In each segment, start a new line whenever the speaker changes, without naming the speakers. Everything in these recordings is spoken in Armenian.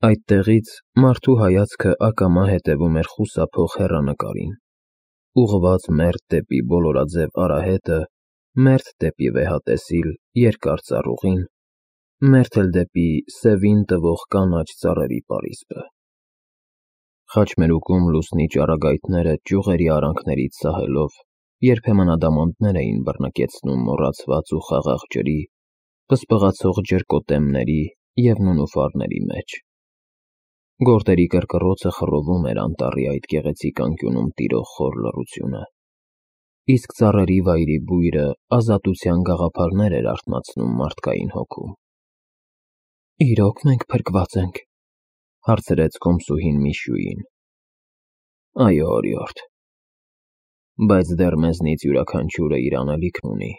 Այդտեղից մարդու հայացքը ակամա հետևում էր խուսափող հեռանկարին, ուղղված մերթ դեպի բոլորաձև արահետը, մերթ դեպի վեհատեսիլ երկար ծառուղին, մերթ էլ դեպի սևին տվող կանաչ ծառերի պարիսպը։ Խաչմերուկում լուսնի ճառագայթները ճյուղերի արանքներից սահելով երբեմն ադամանդներ էին բռնկեցնում մոռացված ու խաղաղ ջրի, պսպղացող ջրկոտեմների և նունուֆարների մեջ։ Գորտերի կռկռոցը խռովում էր անտառի այդ գեղեցիկ անկյունում տիրող խոր լռությունը, իսկ ծառերի վայրի բույրը ազատության գաղափարներ էր արթնացնում մարդկային հոգում։ «Իրո՞ք մենք փրկված ենք,» հարցրեց կոմսուհին Միշուին։ «Այո, օրիորդ, բայց դեռ մեզնից յուրաքանչյուրը իր անելիքն ունի։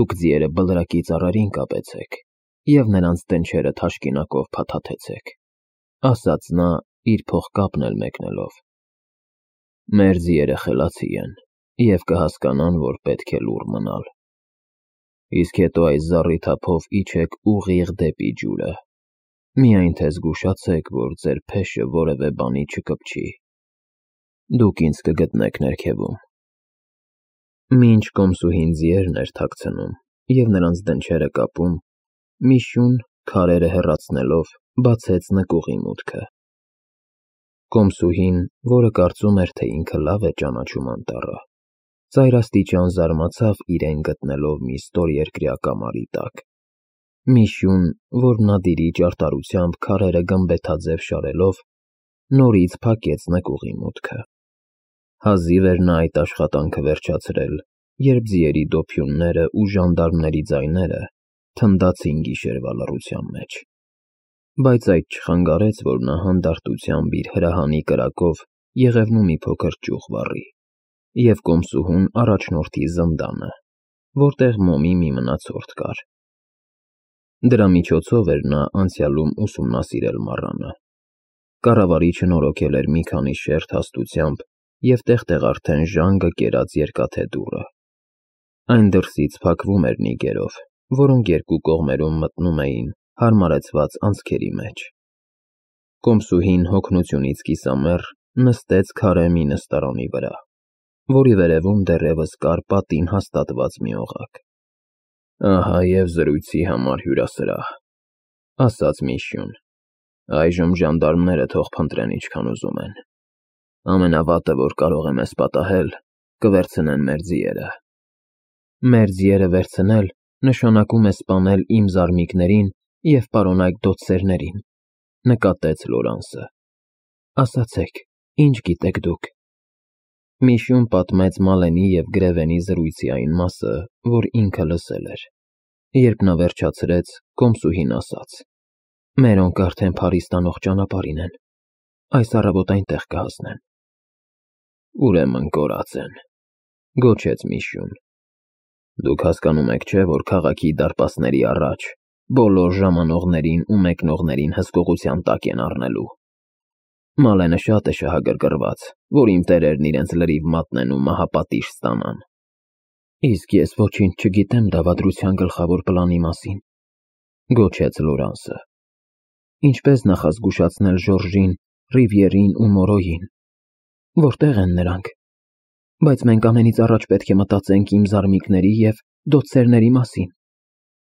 Դուք ձիերը բլրակի ծառերին կապեցեք և նրանց դնչերը թաշկինակով փաթաթեցեք,» ասաց նա, իր փողկապն էլ մեկնելով։ «Մեր ձիերը խելացի են և կհասկանան, որ պետք է լուռ մնալ։ Իսկ հետո այս զառիթափով իջեք ուղիղ դեպի ջուրը, միայն թե զգուշացեք, որ ձեր փեշը որևէ բանի չկպչի։ Դուք ինձ կգտնեք ներքևում»։ Մինչ կոմսուհին ձիերն էր թաքցնում և նրանց դնչերը կապում, Միշուն, քարերը հեռացնելով, բացեց նկուղի մուտքը։ Կոմսուհին, որը կարծում էր, թե ինքը լավ է ճանաչում անտառը, ծայրաստիճան զարմացավ իրեն գտնելով մի ստորերկրյա կամարի տակ։ Միշուն, որ նադիրի ճարտարությամբ քարերը գմբեթաձև շարելով, նորից փակեց նկուղի մուտքը։ Հազիվ էր նա այդ աշխատանքը վերջացրել, երբ ձիերի դոփյունները ու ժանդարմների ձայները թնդացին գիշերվա լռության մեջ։ Բայց այդ չխանգարեց, որ նա հանդարտությամբ իր հրահանի կրակով եղևնու մի փոքր ճյուղ վառի և կոմսուհուն առաջնորդի զնդանը, որտեղ մոմի մի մնացորդ կար։ Դրա միջոցով էր նա անցյալում ուսումնասիրել մառանը։ Կառավարիչը նորոգել էր մի քանի շերտ հաստությամբ և տեղ-տեղ արդեն ժանգը կերած երկաթե դուռը։ Այն դրսից փակվում էր նիգերով, որոնք երկու կողմերում մտնում էին հարմարեցված անցքերի մեջ։ Կոմսուհին հոգնությունից կիսամեռ նստեց քարե մի նստարանի վրա, որի վերևում դեռևս կար պատին հաստատված մի օղակ։ «Ահա և զրույցի համար հյուրասրահ,» ասաց Միշուն։ «Այժմ ժանդարմները թող փնտրեն ինչքան ուզում են։ Ամենավատը, որ կարող է մեզ պատահել, կվերցնեն մեր ձիերը»։ «Մեր ձիերը վերցնել նշանակում է սպանել իմ զարմիկներին և պարոնայք դոցսերներին,» նկատեց Լորանսը։ «Ասացեք, ինչ գիտեք դուք»։ Միշուն պատմեց Մալենի և Գրևենի զրույցի այն մասը, որ ինքը լսել էր։ Երբ նա վերջացրեց, կոմսուհին ասաց. «Մերոնք արդեն Փարիզ տանող ճանապարհին են, այս առավոտ այնտեղ կհասնեն»։ «Ուրեմն կորած են,» գոչեց Միշուն։ «Դուք հասկանում եք, չէ՞, որ քաղաքի դարպասների առաջ բոլոր ժամանողներին ու մեկնողներին հսկողության տակ են առնելու։ Մալենը շատ է շահագրգռված, որ իմ տերերն իրենց լրիվ մատնեն ու մահապատիժ ստանան»։ «Իսկ ես ոչինչ չգիտեմ դավադրության գլխավոր պլանի մասին,» գոչեց Լորանսը։ «Ինչպես նախազգուշացնել Ժորժին, Ռիվիերին ու Մորոյին։ Որտե՞ղ են նրանք։ Բայց մենք ամենից առաջ պետք է մտածենք իմ զարմիկների և դոցսերների մասին։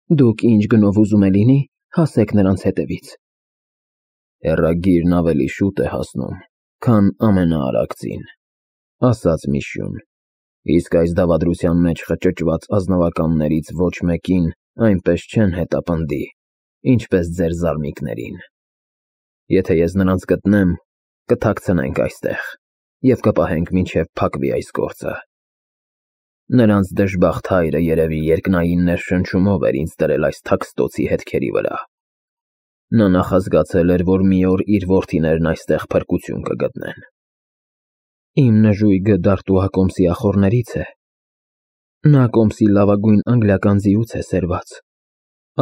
Դուք ինչ գնով ուզում է լինի, հասեք նրանց հետևից»։ «Հեռագիրն ավելի շուտ է հասնում, քան ամենաարագ ձին,» ասաց Միշուն, «իսկ այս դավադրության մեջ խճճված ազնվականներից ոչ մեկին այնպես չեն հետապնդի, ինչպես ձեր զարմիկներին։ Եթե ես նրանց գտնեմ, կթաքցնենք այստեղ և կպահենք մինչև փակվի այս գործը։ Նրանց դժբախտ հայրը երևի երկնային ներշնչումով էր ինձ դրել այս թաքստոցի հետքերի վրա։ Նա նախազգացել էր, որ մի օր իր որդիներն այստեղ փրկություն կգտնեն»։ «Իմ նժույգը Դարտուա կոմսի ախոռներից է։ Նա կոմսի լավագույն անգլիական ձիուց է սերված,»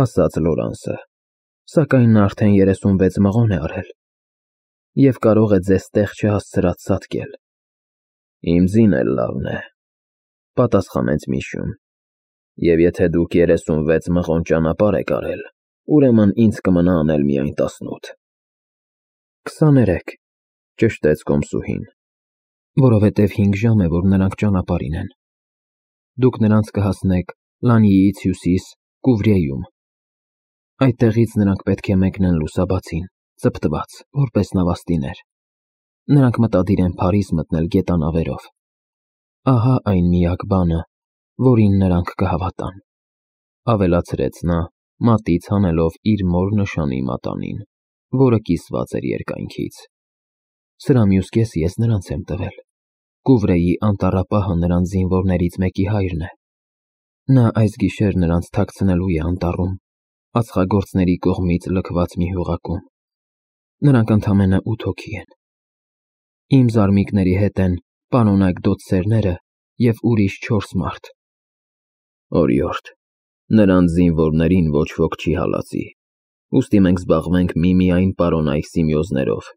ասաց Լորանսը, «սակայն նա արդեն 36 մղոն է արել և կարող է ձեզ տեղ չհասցրած սատկել»։ «Իմ ձին էլ լավն է,» պատասխանեց Միշուն, «և եթե դուք 36 մղոն ճանապարհ եք արել, ուրեմն ինձ կմնա անել միայն 18։ 23, ճշտեց կոմսուհին, որովհետև 5 ժամ է, որ նրանք ճանապարհին են։ Դուք նրանց կհասնեք Լանյից հյուսիս Կուվրեյում։ Այդտեղից նրանք պետք է մեկնեն լուսաբացին, ծպտված, որպես նավաստիներ։ Նրանք մտադիր են Փարիզ մտնել գետանավերով։ Ահա այն միակ բանը, որին նրանք կհավատան, ավելացրեց նա, մատից հանելով իր մոր նշանի մատանին, որը կիսված էր երկայնքից։ Սրա մյուս կեսը ես նրանց եմ տվել։ Կուվրեի անտառապահը նրանց զինվորներից մեկի հայրն է։ Նա այս գիշեր նրանց թաքցնելու է անտառում, ածխագործների կողմից լքված մի հյուղակում։ Նրանք ընդամենը 8 հոգի են։ Իմ զարմիկների հետ են պանոնայք դոցերները և ուրիշ 4 մարդ։ Օրիորդ, նրանց զինվորներին ոչ ոք չի հալածի, ուստի մենք զբաղվենք միմիայն պարոնայք Սիմեոզներով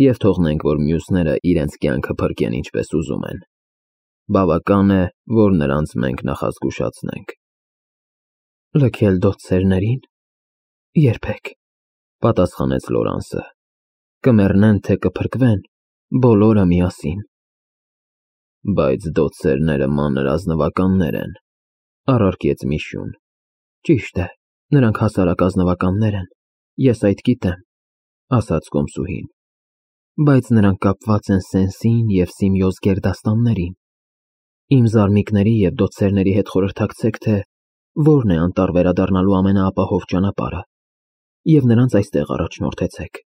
և թողնենք, որ մյուսները իրենց կյանքը փրկեն ինչպես ուզում են։ Բավական է, որ նրանց մենք նախազգուշացնենք։ Լքել դոցերներին։ Երբեք, պատասխանեց Լորանսը։ Կմեռնեն, թե կփրկվեն, բոլորը միասին։ Բայց դոցերները մանր ազնվականներ են, առարկեց Միշյուն։ Ճիշտ է, նրանք հասարակ ազնվականներ են, ես այդ գիտեմ, ասաց կոմսուհին, բայց նրանք կապված են Սենսին և Սիմեոզ գերդաստաններին։ Իմ զարմիկների և դոցերների հետ խորհրդակցեք, թե որն է անտառ վերադառնալու ամենաապահով ճանապարհը, և նրանց այստեղ առաջնորդեցեք։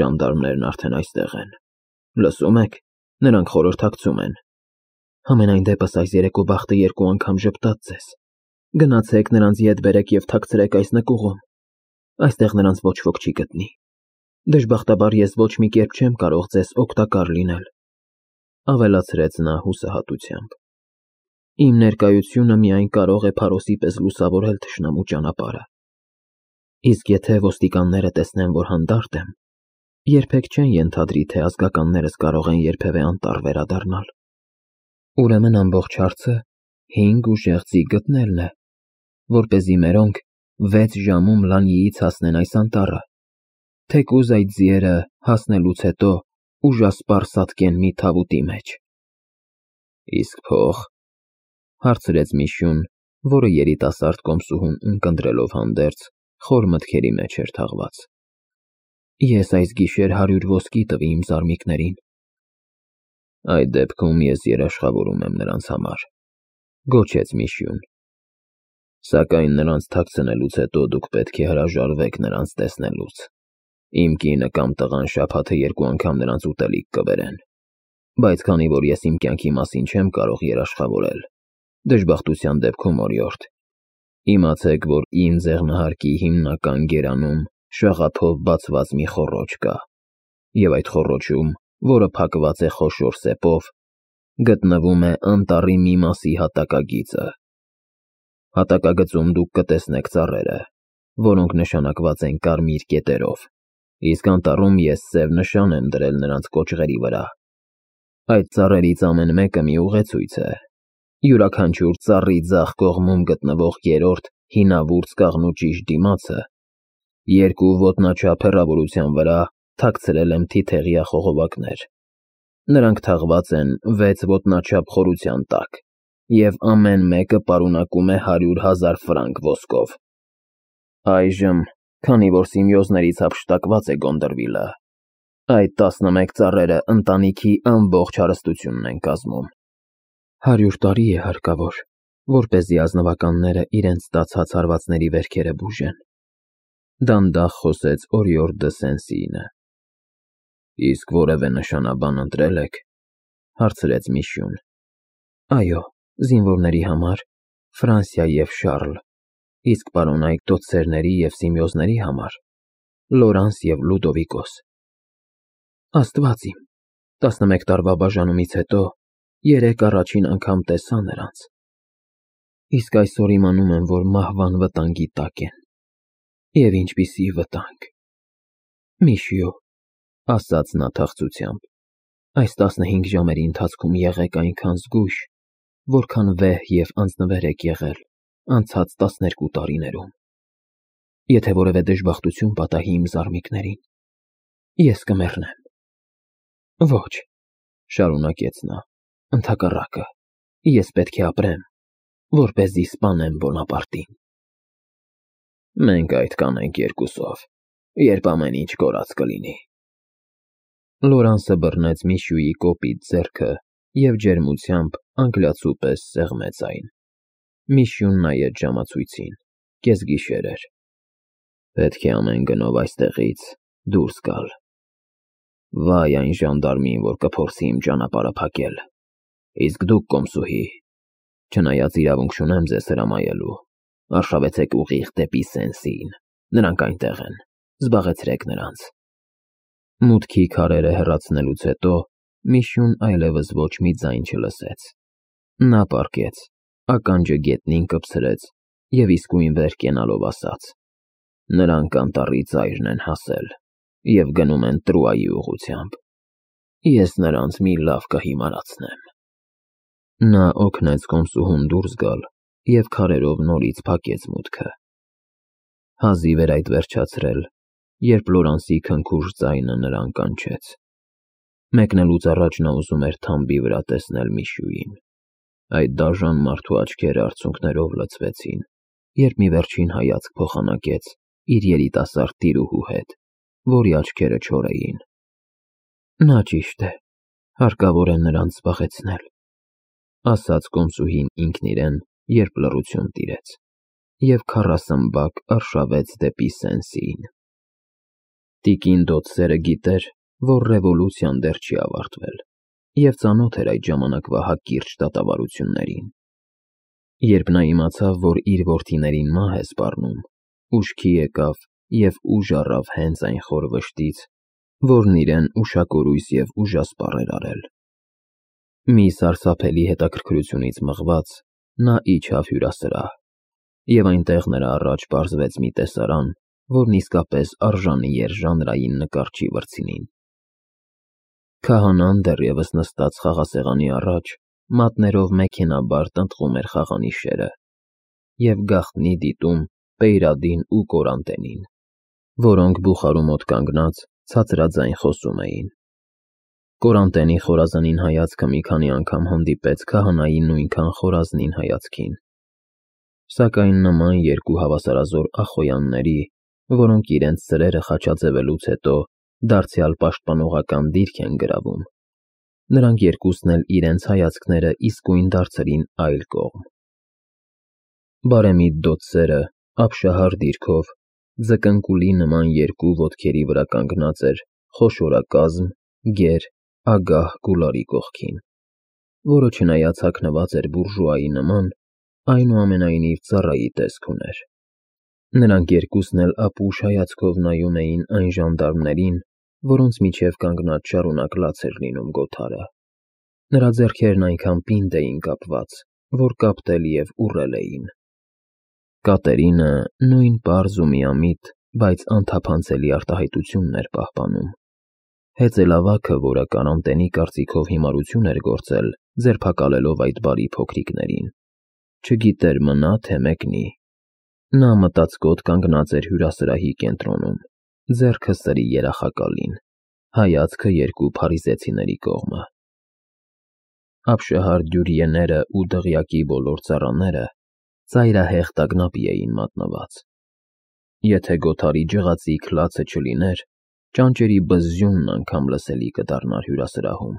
Ժանդարմներն արդեն այստեղ են։ Լսում եք, նրանք խորհրդակցում են։ Համենայն դեպս այս երեկո բախտը 2 անգամ ժպտաց ձեզ։ Գնացեք նրանց ետ բերեք և թաքցրեք այս նկուղում։ Այստեղ նրանց ոչ ոք չի գտնի։ Դժբախտաբար ես ոչ մի կերպ չեմ կարող ձեզ օգտակար լինել, ավելացրեց նա հուսահատությամբ։ Իմ ներկայությունը միայն կարող է փարոսի պես լուսավորել թշնամու ճանապարհը։ Իսկ եթե ոստիկանները տեսնեն, որ հանդարտ եմ, երբեք չեն ենթադրի, թե ազգականներս կարող են երբևէ անտառ վերադառնալ։ Ուրեմն ամբողջ հարցը 5 ուժեղ ձի գտնելն է, որպեսզի մերոնք 6 ժամում Լանյից հասնեն այս անտառը, թեկուզ այդ ձիերը հասնելուց հետո ուժասպառ սատկեն մի թավուտի մեջ։ Իսկ փող, հարցրեց Միշյուն, որը երիտասարդ կոմսուհուն ունկնդրելով հանդերձ, խոր մտքերի մեջ էր թաղված։ Ես այս գիշեր 100 ոսկի տվի իմ զարմիկներին։ Այդ դեպքում ես երաշխավորում եմ նրանց համար, գոչեց Միշյուն։ Սակայն նրանց թաքցնելուց հետո դուք պետք է հրաժարվեք նրանց տեսնելուց։ Իմ կինը կամ տղան շաբաթը 2 անգամ նրանց ուտելիք կբերեն, բայց քանի որ ես իմ կյանքի մասին չեմ կարող երաշխավորել, դժբախտության դեպքում, օրիորդ, իմացեք, որ իմ ձեղնահարկի հիմնական գերանում շաղափով բացված մի խոռոչ կա, և այդ խոռոչում, որը փակված է խոշոր սեպով, գտնվում է անտառի մի մասի հատակագիծը։ Հատակագծում դուք կտեսնեք ծառերը, որոնք նշանակված են կարմիր կետերով, իսկ անտառում ես սև նշան եմ դրել նրանց կոճղերի վրա։ Այդ ծառերից ամեն մեկը մի ուղեցույց է։ Յուրաքանչյուր ծառի ձախ կողմում գտնվող 3-րդ հինավուրց կաղնու ճիշտ դիմացը 2 ոտնաչափ հեռավորության վրա թաքցրել եմ թիթեղյա խողովակներ։ Նրանք թաղված են 6 ոտնաչափ խորության տակ, և ամեն մեկը պարունակում է 100,000 ֆրանկ ոսկով։ Այժմ, քանի որ Սիմեոզներից հափշտակված է Գոնդրվիլը, այդ 11 ծառերը ընտանիքի ամբողջ հարստությունն են կազմում։ 100 տարի է հարկավոր, որպեսզի ազնվականները իրենց ստացած հարվածների վերքերը բուժեն։ Դանդաղ խոսեց Օրիորդ դը Սենսինը։ Իսկ որևէ նշանաբան ընտրել եք, հարցրեց Միշյուն։ Այո, զինվորների համար Ֆրանսիա և Շարլ, իսկ պարոնայք դոցերների և Սիմեոզների համար Լորանս և Լուդովիկոս։ Աստված իմ, 11 տարվա բաժանումից հետո 3 առաջին անգամ տեսա նրանց։ Իսկ այսօր իմանում եմ, որ մահվան վտանգի տակ են։ Եվ ինչպիսի վտանգ։ Միշյո, ասաց նա թախծությամբ, այս 15 ժամերի ընթացքում եղեք այնքան զգույշ, որքան վեհ և անձնվեր եք եղել անցած 12 տարիներում։ Եթե որևէ դժբախտություն պատահի իմ զարմիկներին, ես կմեռնեմ։ Ոչ, շարունակեց նա, ընդհակառակը, ես պետք է ապրեմ, որպեսզի սպանեմ Բոնապարտին։ Մենք այդ կանենք երկուսով, երբ ամեն ինչ կորած կլինի։ Լորանսը բռնեց Միշյուի կոպիտ ձեռքը և ջերմությամբ անգլիացու պես սեղմեց այն։ Միշյուն նայեց ժամացույցին, կեսգիշեր էր։ Պետք է ամեն գնով այստեղից դուրս գալ։ Վայ այն ժանդարմին, որ կփորձի իմ ճանապարհը փակել։ Իսկ դուք, կոմսուհի, չնայած իրավունք չունեմ ձեզ հրամայելու, արշավեցեք ուղիղ դեպի Սեն-Սին, նրանք այնտեղ են, զբաղեցրեք նրանց։ Մուտքի քարերը հեռացնելուց հետո Միշյուն այլևս ոչ մի ձայն չլսեց։ Նա պառկեց, ականջը գետնին կպցրեց և իսկույն վեր կենալով ասաց. նրանք անտառի ծայրն են հասել և գնում են Տրուայի ուղղությամբ։ Ես նրանց մի լավ կհիմարացնեմ։ Նա օգնեց կոմսուհուն դուրս գալ և քարերով նորից փակեց մուտքը։ Հազիվ էր այդ վերջացրել, երբ Լորանսի քնքուշ ձայնը նրան կանչեց։ Մեկնելուց առաջ նա ուզում էր թամբի վրա տեսնել Միշյուին։ Այդ դաժան մարդու աչքերը արցունքներով լցվեցին, երբ մի վերջին հայացք փոխանակեց իր երիտասարդ տիրուհու հետ, որի աչքերը չոր էին։ Նա ճիշտ է, հարկավոր է նրանց զբաղեցնել, ասաց կոմսուհին ինքն իրեն, երբ լռություն տիրեց, և քառասմբակ արշավեց դեպի Սեն-Սին։ Տիկին Դոթսերը գիտեր, որ ռևոլյուցիան դեռ չի ավարտվել, և ծանոթ էր այդ ժամանակվա հակիրճ դատավարություններին։ Երբ նա իմացավ, որ իր որդիներին մահ է սպառնում, ուշքի եկավ և ուժ առավ հենց այն խոր վշտից, որն իրեն ուշակորույս և ուժասպառ էր արել։ Մի սարսափելի հետաքրքրությունից մղված՝ նա իջավ հյուրասրահ, և այնտեղ նրա առաջ պարզվեց մի տեսարան, որն իսկապես արժանի էր ժանրային նկարչի վրձինին։ Քահանան դեռևս նստած խաղասեղանի առաջ, մատներով մեքենաբար տնտղում էր խաղանիշերը և գաղտնի դիտում Պեյրադին ու Կորանտենին, որոնք բուխարու մոտ կանգնած ցածրաձայն խոսում էին։ Կորանտենի խորազանին հայացքը մի քանի անգամ հանդիպեց քահանայի նույնքան խորազնին հայացքին, սակայն նման երկու հավասարազոր ախոյանների, որոնք իրենց սրերը խաչաձևելուց հետո դարձյալ պաշտպանողական դիրք են գրավում, նրանք երկուսն էլ իրենց հայացքները իսկույն դարձրին այլ կողմ։ Բարեմիտ Դոթսերը ապշահար դիրքով, ձկնկուլի նման երկու ոտքերի վրա կանգնած էր խոշորակազմ, գեր, ագահ Գուլարի կողքին, որը չնայած հագնված էր բուրժուայի նման, այնուամենայնիվ ծառայի տեսք ուներ։ Նրանք երկուսն էլ ապուշ հայացքով նայում էին այն ժանդարմներին, որոնց միջև կանգնած շարունակ լաց էր լինում գոթարը։ Նրա ձեռքերն այնքան պինդ էին կապված, որ կապտել և ուռել էին։ Կատերինը նույն պարզ ու միամիտ, բայց անթափանցելի արտահայտությունն էր պահպանում։ Հեծելավագը, որը Կորանտենի կարծիքով հիմարություն էր գործել, ձերբակալելով այդ բարի փոքրիկներին, չգիտեր մնա թե մեկնի։ Նա մտածկոտ կանգնած էր հյուրասրահի կենտրոնում, ձեռքը սրի երախակալին, հայացքը երկու փարիզեցիների կողմը։ Ապշահար դյուրիեները ու դղյակի բոլոր ծառաները ծայրահեղ տագնապի էին մատնված։ Եթե գոթարի ջղածիկ լացը չլիներ, ճանճերի բզզյունն անգամ լսելի կդառնար հյուրասրահում։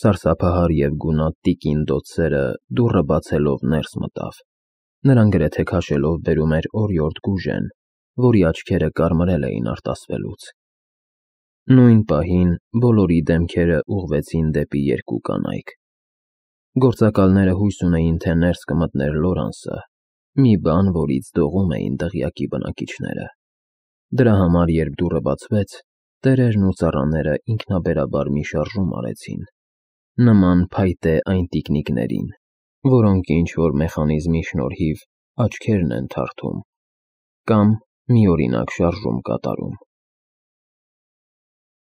Սարսափահար և գունատ տիկին Դոթսերը դուռը բացելով ներս մտավ։ Նրան գրեթե քաշելով բերում էր օրիորդ Գուժեն, որի աչքերը կարմրել էին արտասվելուց։ Նույն պահին բոլորի դեմքերը ուղղվեցին դեպի երկու կանայք։ Գործակալները հույս ունեին, թե ներս կմտներ Լորանսը, մի բան, որից դողում էին դղյակի բնակիչները։ Դրա համար, երբ դուռը բացվեց, տերերն ու ծառաները ինքնաբերաբար մի շարժում արեցին, նման փայտե այն տիկնիկներին, որոնք ինչ-որ մեխանիզմի շնորհիվ աչքերն են թարթում կամ մի օրինակ շարժում կատարում։